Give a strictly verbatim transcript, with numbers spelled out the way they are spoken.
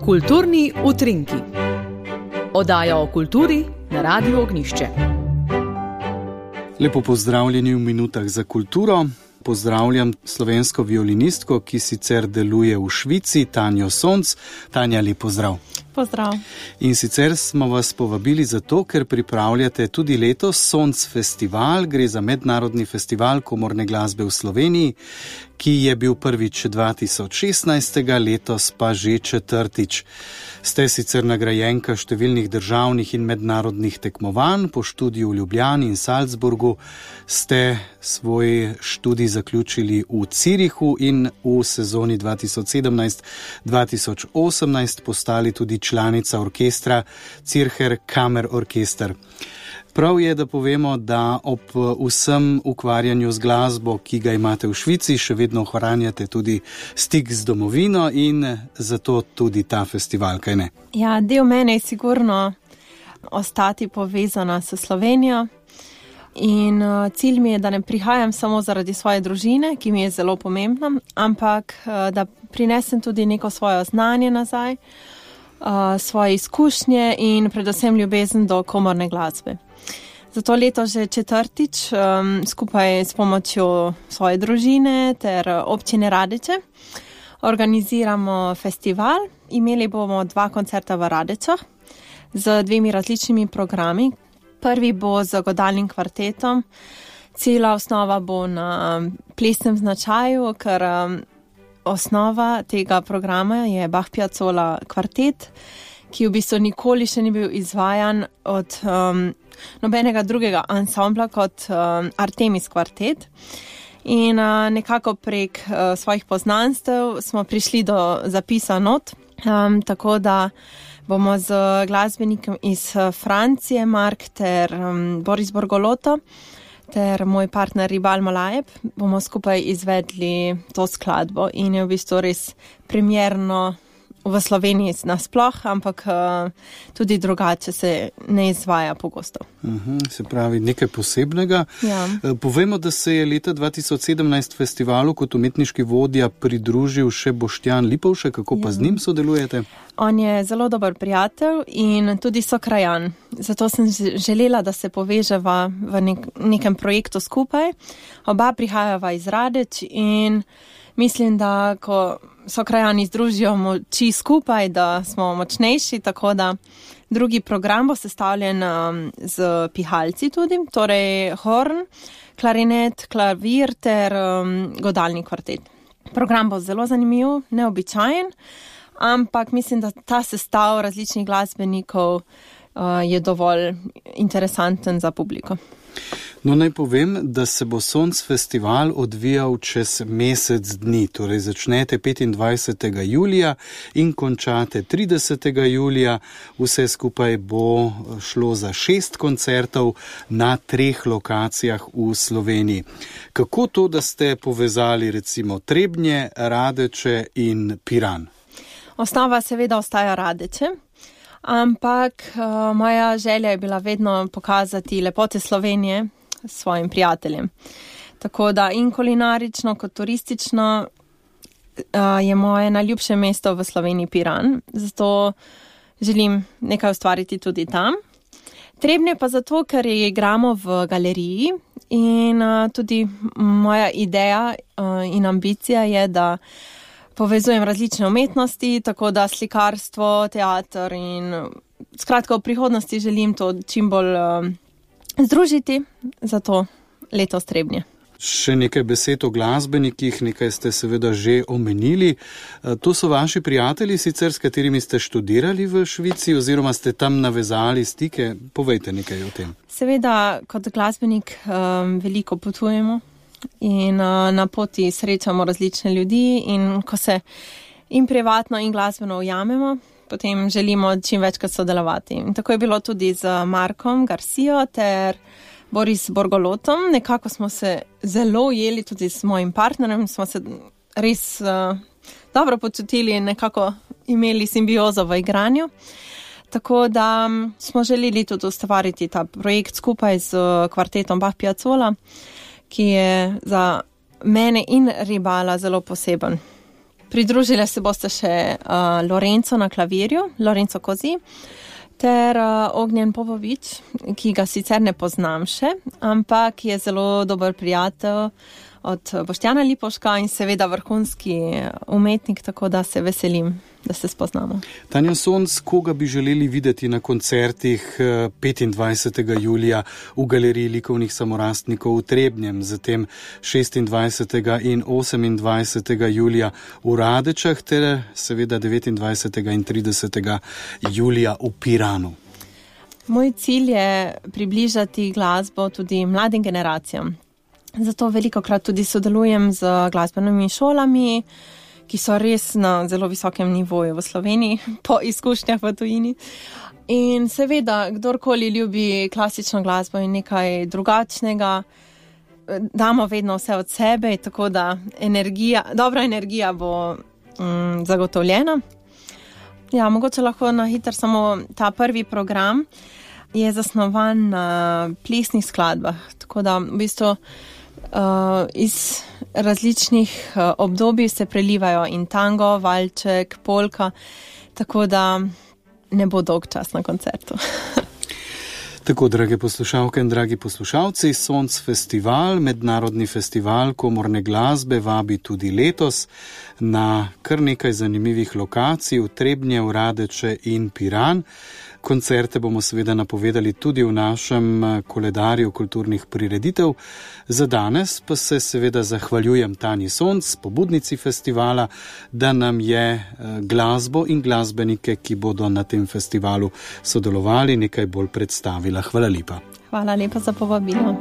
Kulturni utrinki. Oddaja o kulturi na Radiu Ognjišče. Lepo pozdravljeni v minutah za kulturo. Pozdravljam slovensko violinistko, ki sicer deluje v Švici, Tanjo Sonc. Tanja, lep pozdrav. Pozdrav. In sicer smo vas povabili zato, ker pripravljate tudi letos Sonc festival. Gre za mednarodni festival komorne glasbe v Sloveniji, ki je bil prvič dva tisoč šestnajst, letos pa že četrtič. Ste sicer nagrajenka številnih državnih in mednarodnih tekmovanj, po študiju v Ljubljani in Salzburgu ste svoj študij zaključili v Zürichu in v sezoni dva tisoč sedemnajst dva tisoč osemnajst postali tudi članica orkestra Zürcher Kammerorchester. Prav je, da povemo, da ob vsem ukvarjanju z glasbo, ki ga imate v Švici, še vedno ohranjate tudi stik z domovino in zato tudi ta festival, kaj ne? Ja, del mene je sigurno ostati povezana s Slovenijo in cilj mi je, da ne prihajam samo zaradi svoje družine, ki mi je zelo pomembna, ampak da prinesem tudi neko svoje znanje nazaj, svoje izkušnje in predvsem ljubezen do komorne glasbe. Zato leto že četrtič um, skupaj s pomočjo svoje družine ter občine Radeče organiziramo festival. Imeli bomo dva koncerta v Radečah z dvemi različnimi programi. Prvi bo z godalnim kvartetom. Cela osnova bo na plesnem značaju, ker um, osnova tega programa je Bach Piazzolla kvartet, ki v bistvu nikoli še ni bil izvajan od um, nobenega drugega ansambla kot um, Artemis kvartet. In uh, nekako prek uh, svojih poznanstev smo prišli do zapisa not, um, tako da bomo z glasbenikom iz Francije, Mark ter um, Boris Borgoloto, ter moj partner Ribal Malajeb, bomo skupaj izvedli to skladbo in je v bistvu res premierno v Sloveniji nasploh, ampak uh, tudi drugače se ne izvaja pogosto. Uh-huh, se pravi nekaj posebnega. Ja. Povejmo, da se je leta dva tisoč sedemnajst festivalu kot umetniški vodja pridružil še Boštjan Lipovšek. Kako pa ja. z njim sodelujete? On je zelo dober prijatelj in tudi sokrajan. Zato sem želela, da se poveževa v nek- nekem projektu skupaj. Oba prihajava iz Radeč in mislim, da ko sokrajani združijo moči skupaj, da smo močnejši, tako da drugi program bo sestavljen um, z pihalci tudi, torej horn, klarinet, klavir ter um, godalni kvartet. Program bo zelo zanimiv, neobičajen, ampak mislim, da ta sestav različnih glasbenikov uh, je dovolj interesanten za publiko. No, naj povem, da se bo Sonc festival odvijal čez mesec dni, torej začnete petindvajsetega julija in končate tridesetega julija. Vse skupaj bo šlo za šest koncertov na treh lokacijah v Sloveniji. Kako to, da ste povezali recimo Trebnje, Radeče in Piran? Osnova seveda ostaja Radeče. Ampak uh, moja želja je bila vedno pokazati lepote Slovenije svojim prijateljem. Tako da in kulinarično kot turistično uh, je moje najljubše mesto v Sloveniji Piran. Zato želim nekaj ustvariti tudi tam. Trebnje pa zato, ker igramo v galeriji in uh, tudi moja ideja uh, in ambicija je, da povezujem različne umetnosti, tako da slikarstvo, teater in skratka v prihodnosti želim to čim bolj uh, združiti, zato letos Trebnje. Še nekaj besed o glasbenikih, nekaj ste seveda že omenili. To so vaši prijatelji sicer, s katerimi ste študirali v Švici oziroma ste tam navezali stike? Povejte nekaj o tem. Seveda kot glasbenik um, veliko potujemo. In uh, na poti srečamo različne ljudi in ko se in privatno in glasbeno ujamemo, potem želimo čim večkrat sodelovati. In tako je bilo tudi z Markom Garcijo ter Boris Borgolotom. Nekako smo se zelo ujeli tudi s mojim partnerjem, smo se res uh, dobro počutili in nekako imeli simbiozo v igranju. Tako da smo želeli tudi ustvariti ta projekt skupaj z kvartetom Bach Piazzolla, ki je za mene in Ribala zelo poseben. Pridružile se boste še uh, Lorenzo na klavirju, Lorenzo Kozi, ter uh, Ognjen Popovič, ki ga sicer ne poznam še, ampak je zelo dober prijatelj od Boštjana Lipovška in seveda vrhunski umetnik, tako da se veselim, da se spoznamo. Tanja Sonc, koga bi želeli videti na koncertih petindvajsetega julija v Galeriji likovnih samorastnikov v Trebnjem, zatem šestindvajsetega in osemindvajsetega julija v Radečah ter seveda devetindvajsetega in tridesetega julija v Piranu? Moj cilj je približati glasbo tudi mladim generacijam. Zato velikokrat tudi sodelujem z glasbenimi šolami, ki so res na zelo visokem nivoju v Sloveniji, po izkušnjah v tujini. In seveda, kdorkoli ljubi klasično glasbo in nekaj drugačnega, damo vedno vse od sebe, tako da energija, dobra energija bo mm, zagotovljena. Ja, mogoče lahko na hitro samo ta prvi program je zasnovan na plesnih skladbah, tako da v bistvu Uh, iz različnih uh, obdobij se prelivajo in tango, valček, polka, tako da ne bo dolg čas na koncertu. Tako, drage poslušalke in dragi poslušalci, Sonc festival, mednarodni festival komorne glasbe, vabi tudi letos na kar nekaj zanimivih lokacij v Trebnje, Radeče in Piran. Koncerte bomo seveda napovedali tudi v našem koledarju kulturnih prireditev. Za danes pa se seveda zahvaljujem Tanji Sonc, pobudnici festivala, da nam je glasbo in glasbenike, ki bodo na tem festivalu sodelovali, nekaj bolj predstavila. Hvala lepa. Hvala lepa za povabilo.